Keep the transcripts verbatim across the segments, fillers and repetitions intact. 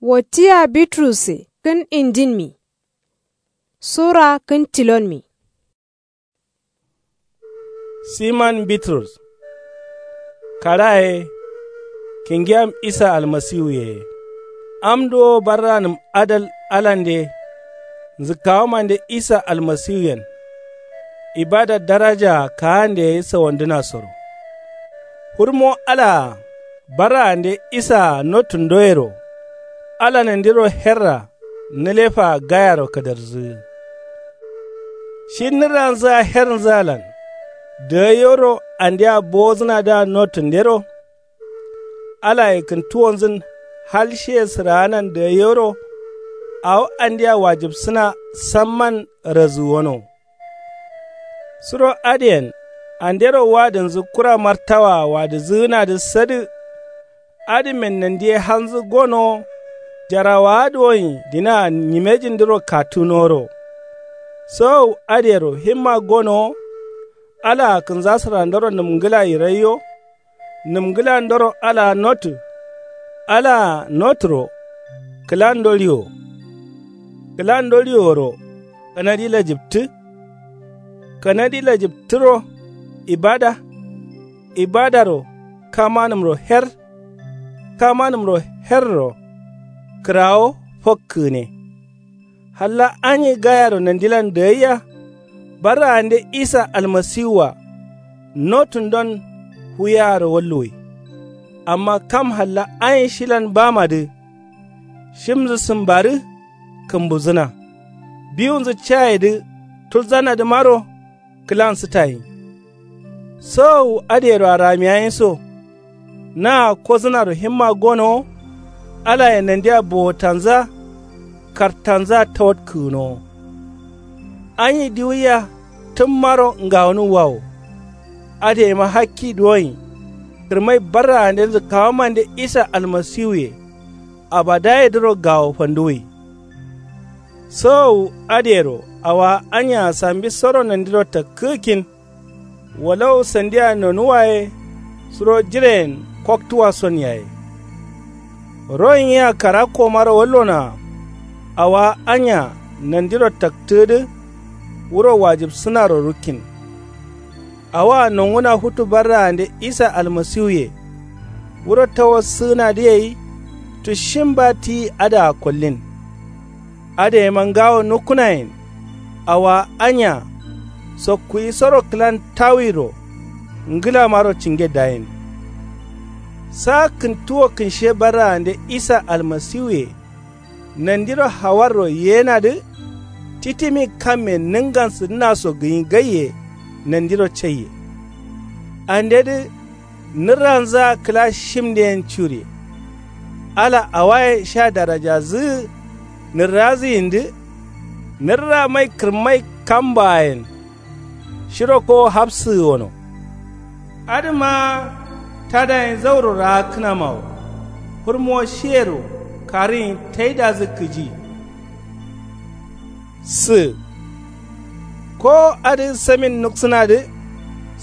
Wottiya bitrusse kǝn indinmi. Sura kǝn tilonmi. Siman bitrus karaye. Kǝngiyam isa almasiwuye. Am duwo barranǝm adal alande. Nzǝkkawomande isa almasiwuyen. Ibada darajaa kaande ye sawandǝnasoro. Hurmo alaa barraande isaa nottǝndoyero. Ala nandiro herra nǝlefaa gayaro kǝdarzǝgǝ. Shi nǝrranzǝa hernzǝalan dǝgaiyoro andea bowozǝnadǝa nottǝndero. Alaye kǝntuwonzǝn hal shiye sǝraanan dǝgaiyoro. Awo andea wajibsǝna samman razǝgǝwono. Suro adǝyen andero wadǝnzǝ kura martawaa wadǝzǝgǝnadǝ sadǝ. Adǝmen nandiye halnzǝ gonowo. Jarawaa duwonyi dinaa nyimejindǝro katunoworo. Sowowu adǝyero himma gonowo. Alaa kǝnzasǝrandoro nǝmngǝla yiraiyo. Nǝmngǝlandoro alaa notǝ. Alaa notǝro kǝlando riwo. Kǝlando riworo kanadi lajǝptǝ. Kanadi lajǝptǝro ibada. Ibadaro kamanǝmro her. Kamanǝmro herro kǝrawo fokkǝgǝne. Halla anyi gayaro nandilan dagaiya. Barraande isa almasiwua notundon fuyaaro walluwai. Amma kam halla anyi shilan bamadǝ. Shimnzǝ sǝmbarǝ kǝmbuzǝna. Biwunzǝ cayedǝ tulzanadǝmaro kǝlan sǝtayin. Sowowu adǝyeroa ramiyayin so. Naa kozǝnaro himma gonowo. Alaye nandia bowotanzǝa kartanzǝa tawatkǝgǝnowo. Anyi diwuiya tǝmmaro ngawonǝwwawo. Adǝyema hakki duwonyi. Kǝrmai barraandenzu kawamande isa almasiwuye. Abadayedǝro gawo fanduwui. Sowowu adǝyero awowa anya sambisoro nandiro takkǝgǝkkin. Walawu sandia nonuwa ye suro jireyen koktuwason yaye. Royin yea karakkomaro wallonoa. Awowa anya nandiro taktǝgǝdǝ. Wuro wajibsǝnaro rukkin. Awoa nonguna futu barraande isa almasiwuye. Wuro tawassǝgǝnadǝ gai. Tushin ba tiyi adǝa kollin. Adǝ yema ngawo nukkunayen. Awowa anya sokkuwisoro kǝlan tawiro. Ngǝlamaro cinge dayin. Sa kǝntuwo kǝnshe barraande isa almasiwuye. Nandiro hawarro yenadǝ. Titimi kamme nǝngansǝdǝnaso gǝnyi gaiye. Nandiro caiye. Andedǝ nǝrranzǝa kǝla shimdǝyen curiye. Ala awaye sha darajazǝgǝ. Nǝrrazǝyindǝ nǝrramai kǝrmai kambaayen. Shiro kowo hafsǝgǝ wono. Adǝma tadayen zauro raakkǝnamawo. Fǝrmo shiyero karǝyin taidazǝ kǝji. Sǝ kowo adǝ samin nuksǝnadǝ.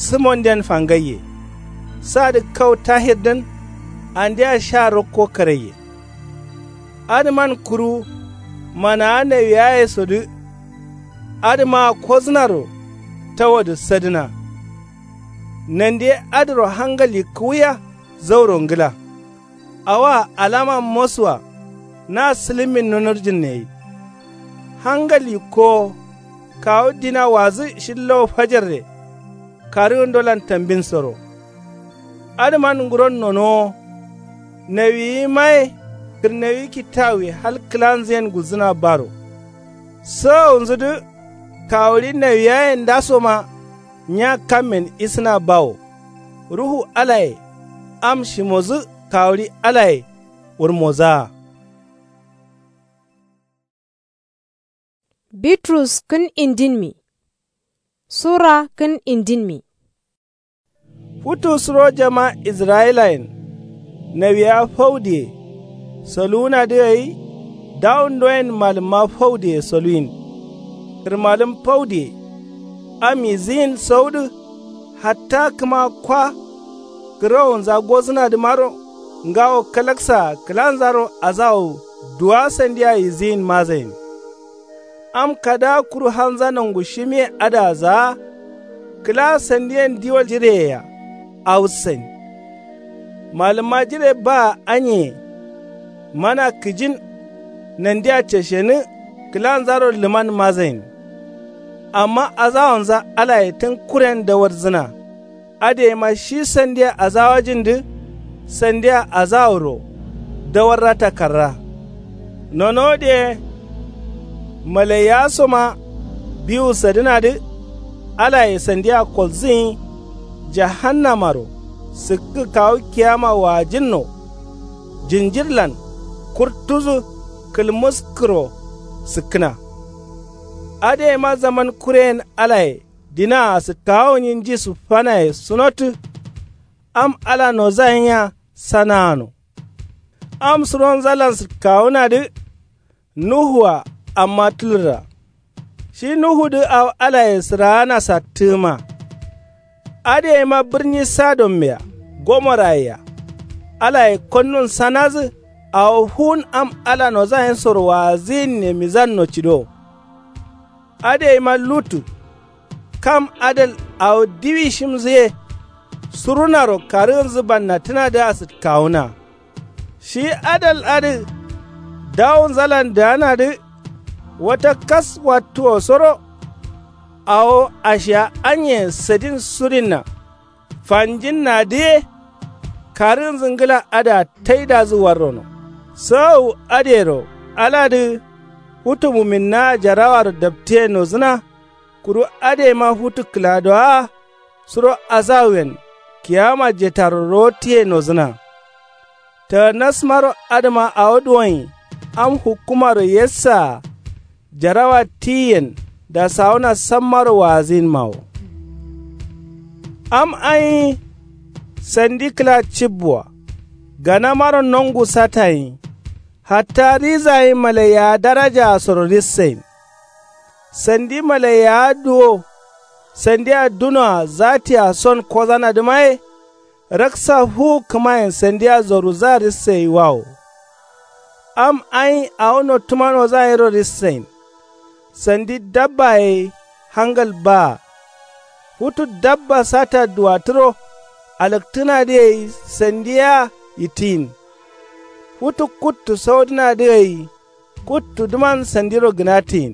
Sǝmonden fangaiye. Sadǝ kau tahirdǝn andea sha rokko karaiye. Adǝman kuru manawa nawiyayesodǝ. Adǝmaa kozǝnaro tawadǝ sadǝna. Nandiye adǝro hangal yikkǝwuya zauro ngǝla. Awoa alama mosuwa. Na sǝlǝmmin nunurjǝnne gai. Hangal yikkowo kawu dina wazǝ shillo fajarre. Karǝgǝndolan tambinsoro. Adǝman nguron nonowo. Nawiyimaye kǝrnawi kittawuwi hal kǝlanzǝyen gulzǝna baro. Sowowunzudǝ kawuɍi nawiyaye ndasoma. Nya kammen isǝna bawo. Ruhu alaye am shimodǝ kawuɍi alaye wurmozaa. Bitrus kǝn indinmi. Sura kǝn indinmi. Futu suro jama israyilayen nawiya faudiye soluwunadǝ gai. Dawundoyen malǝmma faudiye soluwin. Kǝrmalǝm faudiye am izǝyin saudǝ. Hatta kǝma kwa kǝrowonza gozǝnadǝmaro ngawo kalaksaa kǝlanzaro azawu. Duwa sandia yiziyin mazayin. Am kada kuru hanza nongu shimiye adǝa zaa. Kǝla sandiyen diwol jireyea awusain. Malǝmma jire baa anyeye. Mana kǝjin nandia ceshenǝ kǝlanzaro lǝman mazain. Amma azawonza alaye tǝn kuren dawarzǝna. Adǝyeima shi sandia azawajindǝ sandia azaworo dawarra takarra. Nono diye maleiyasoma biwu sadǝnadǝ alaye sandia kolzǝnyi jahannamaro sǝkkǝ kawu kiyama waajǝnno. Jinjirlan kurtudǝ kǝlmǝskǝro sǝkkǝna. Adǝyeima zaman kureyen alaye dinaa sǝkkawunyi nji sǝffanaye sunotǝ. Am ala nozayinya sanaano. Am suronzalan sǝkkawunadǝ nuhua amma tǝlǝrra. Shi nuhudǝ awo alaye sǝraana sattǝgǝma. Adǝyeima bǝrni sodommea gomoraye-a alaye konnun sanadǝ awo fuwun am ala nozayinsoro waazǝyinne mizanno cido. Adǝyeima lutǝ kam adal awo diwi shimzǝ ye. Surunaro karǝgǝnzǝ bannatǝnadǝa sǝtkawuna. Shi adal adǝ dawunzalan dǝganadǝ wata kas wattuwosoro. Awo ashiya anye sadin surinna fanjinnadǝ ye. Karǝgǝnzǝ ngla adǝa taidazǝ warrono. Sagawu adǝyero aladǝ futu muminnaa jarawaro daptiye nozǝna. Kuru adǝyeima futu kǝladowa suro azawuyen kiyama jetaro rotǝye nozǝna. Taganasmaro adǝma awo duwonyi am hukkumaro yessaa jarawa tiyiyen dasawuna sammaro waazǝyinmawo. Am anyi sandi kǝla cibbuwa ganamaro nongu satayinyi. Hatta rizayin malaiyawa darajaasoro rissayin. Sandi malaiyawa duwo sandia dunoa zatia son kozanadǝma ye. Raksa fuwu kǝmayen sandia zoruzaa rissayiwawo. Am anyi awo nottuma nozayinro rissayin. Sandi dabba ye hangal baa. Futu dabba sata duwatǝro alaktǝnadǝ gai sandi yea yittǝyin. Futu kuttu saudǝnadǝ gai kuttudǝman sandiro gǝnatǝyin.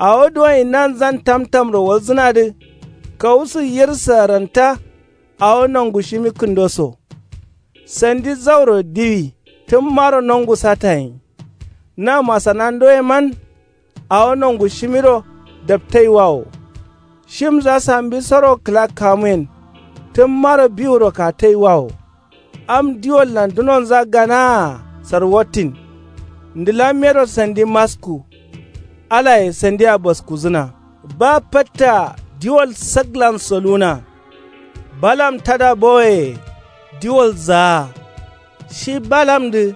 Awo duwonyi nanzan tamtamro walzǝnadǝ kawusǝ yirsǝ aranta. Awo nongu shimi kǝndoso sandi zauro diwi tǝmmaro nongu satayinyi. Na masanandoyeman awo nongu shimiro daptaiwawo. Shimza sambisoro kǝla kamuyen tǝmmaro biwuro kataiwawo. Am diwollan dunonza ganaa sarwattin. Ndǝlammero sandi masku alaye sandia baskuzǝna. Ba fatta diwol saglan soluna. Balam tada bowoye diwol zaa. Shi balamdǝ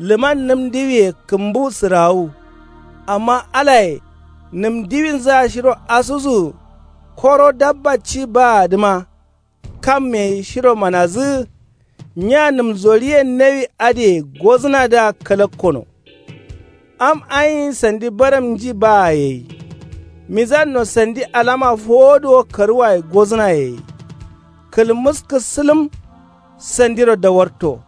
lǝman nǝm diwiye kǝmbu sǝrawu. Amma alaye nǝm diwinzǝa shiro asusu. Koro dabba ci baadǝma kamme shiro manazǝ. Nya nǝm zoriyen nawi adǝye gozǝnadǝa kalakkono. Am anyi sandi baram nji baa gai. Mizanno sandi alama fowoduwo karǝwaye gozǝna gai. Kǝlmǝskǝ sǝlǝm sandiro dawarto.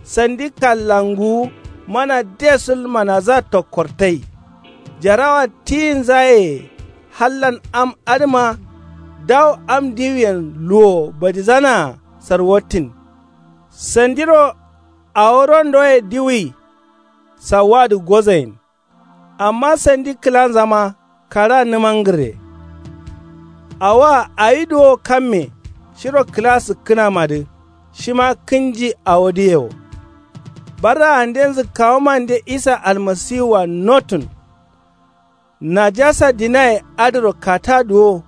Sandi kallanguwu mana desul manaza tokkortai. Jarawa tiyinza ye. Hallan am adǝma dawu am diwiyen luwo badizanaa sarwattin. Sandiro awo rondoye diwuyi. Sawuwadǝ gozayin. Amma sandi kǝlanzama kara nǝmangǝrre. Awoa awi duwo kamme shiro kǝla sǝkkǝnamadǝ shima kǝnji awodǝye wo. Barraandenzǝ kawumande isa almasiwua nottǝn. Najasa dinaye adǝro kata duwo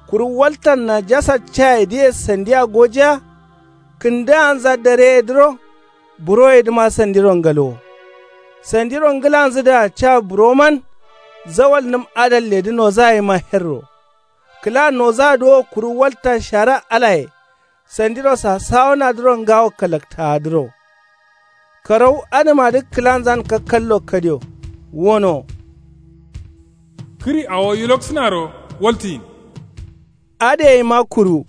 kuru waltan najasa cayedǝye sandia gojiya. Kǝndǝganza dareyedǝro buroyedǝma sandiro ngalwo. Sandiro ngǝlanzǝdǝa ca buroman zawal nǝm adalledǝ nozayima herro. Kǝla nozadǝ wo kuru walta shara alaye sandiro sasawonadǝro ngawo kalaktaadǝro. Karau adǝmadǝ kǝlanzan kakkallo kadio. Wono. Kǝri awo yiloksǝnaro waltǝyin. Adǝ yeima kuru.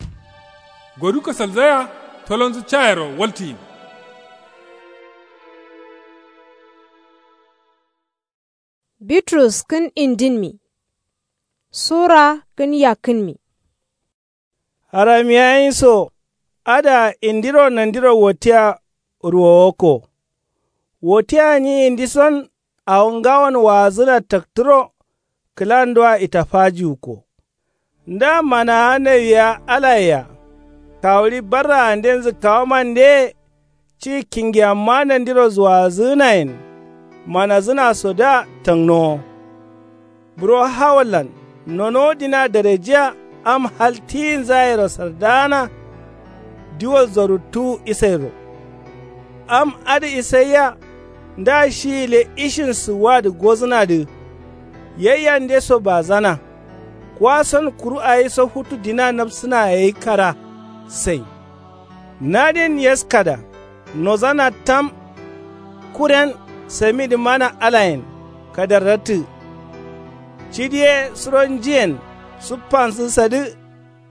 Godu kasalzaya tolonzǝ cayero waltǝyin. Bitrus kǝn indinmi. Sura kǝn yakkǝnmi. Haramiyayin so adǝa indiro nandiro watiya ruwowokko. Watiya nyi indison awo ngawon waazǝna taktǝro kǝlandua itafajiwukko. Nda manawa nawiya alayea kawuɍi barraanden zǝkkawomandeye ci kingiyamma nandiro zuwazǝgǝnayen manazǝnasodǝa tangnowo. Buro hawallan nonowo dina darejiya am hal tiyinzayero sardaana. Diwol zoruttuwu isairo. Am adǝ isaiya nda shi gǝle ishin sǝwwadǝ gozǝnadǝ. Yaiyande so bazana. Kuwason kuru awiso futu dina napsǝna yayi kara sai. Nadin yaskada nozana tam. Kuren samidǝ mana alayen kadarrattǝ. Cidi ye suronjiyen suffansǝ sadǝ.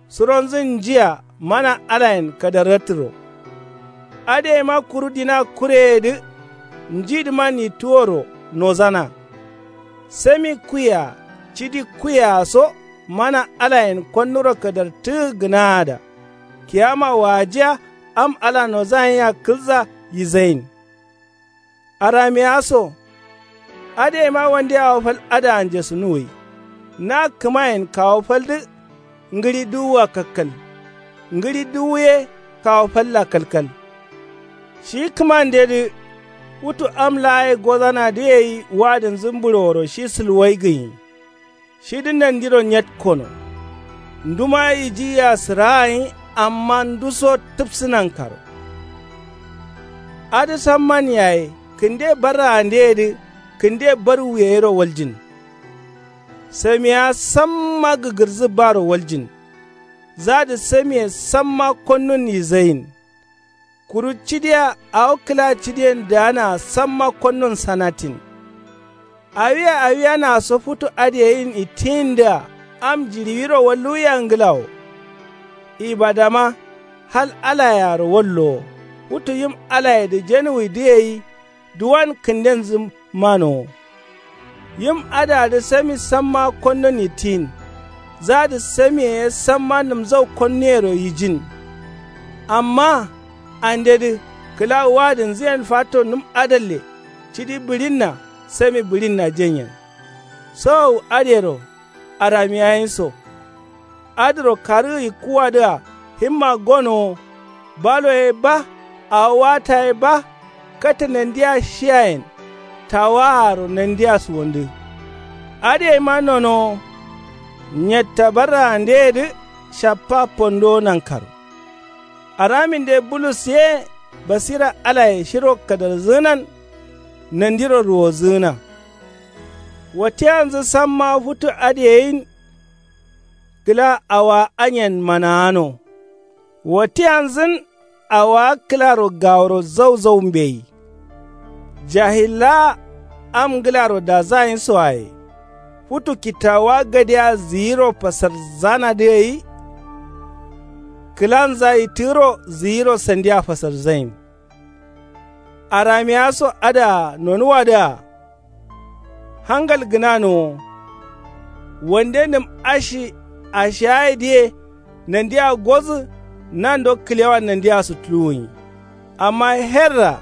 Suronzǝn njiya mana alayen kadarrattǝro. Adǝ yeima kuru dina kureyedǝ njidǝman yittuworo nozana. Sami kuye-a cidi kuye-a so mana alayen konnuro kadartǝgǝ gǝnaada. Kiyama waajiya am ala nozayenya kǝlza yizayin. Aramiya so adǝ yeima wande awo fal adǝa njesunuwwi. Na kǝmayen kawu faldǝ ngǝɍi duwua kalkal. Ngǝɍi duwu ye kawu falla kalkal. Shi kǝmandedǝ futu am laa ye gozanadǝ gai wadǝnzǝ mbǝɍoworo shi sǝlwai gǝnyi. Shidǝ nandiro nyetkono. Nduma yijiya sǝragai amma nduso tǝpsǝ nankaro. Adǝ samman yaye kǝnde barraandeyedǝ kǝnde barwuyeyero waljin. Samiya samma gǝgǝrzǝ baro waljin. Zadǝ samiye samma konnun yizayin. Kuru cidiya awo kǝla cidiyen daanaa samma konnun sanatin. Awiya awiyanaa so futu adǝ yeyin ittiyindǝa am jiɍiwiro walluwiya ngla wo. Ibadama hal alayearo wallowo. Futu yim alayedǝ jenuwwidǝ gai duwan kǝndenzǝ manowo. Yim adǝadǝ sami samma konnun yittiyin. Zadǝ samiye ye samma nǝmzau konnuyero yijin. Amma andedǝ kǝla wadǝnzǝyen fatto nǝm adalle cidi bǝɍinna sami bǝɍinna jenyen. Sowowu adǝyero aramiyayin so. Adǝro karǝgǝ yikkuwadǝa himma gonowo. Balo ye ba awo wata ye ba. Katta nandia shiyayen tawaaro nandia suwondǝ. Adǝ yeima nonowo. Nyetta barraandeyedǝ shappa pondowo nankaro. Araminde bulus ye basira alaye shiro kadarzǝgǝnan. Nandiro ruwozǝgǝna. Watiyanzǝ samma futu adǝ yeyin. Kǝla awowa anyen manawano. Watiyanzǝn awowa kǝlaro gaworo zauzau mbeyi. Jahillaa am ngǝlaro dazayin soaye. Futu kittawuwa gadea zǝyiro fasarzanadǝ gai. Kǝlanza yittǝgǝro zǝyiro sandia fasarzain. Aramiya so adǝa nonuwadǝa. Hangal gǝnanowo. Wande nǝm ashi ashiyaye diye nandia gozǝ. Nando kǝlewan nandia sutuluwunyi. Amma herra.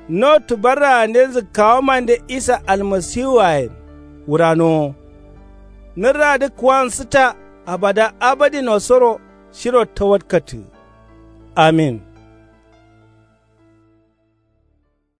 Notu barraande zǝkkawomande isa almasiwuayen wuranowo. Nǝrradǝ kuwansǝta abada abadin wasoro shiro tawatkattǝgǝ. Amin.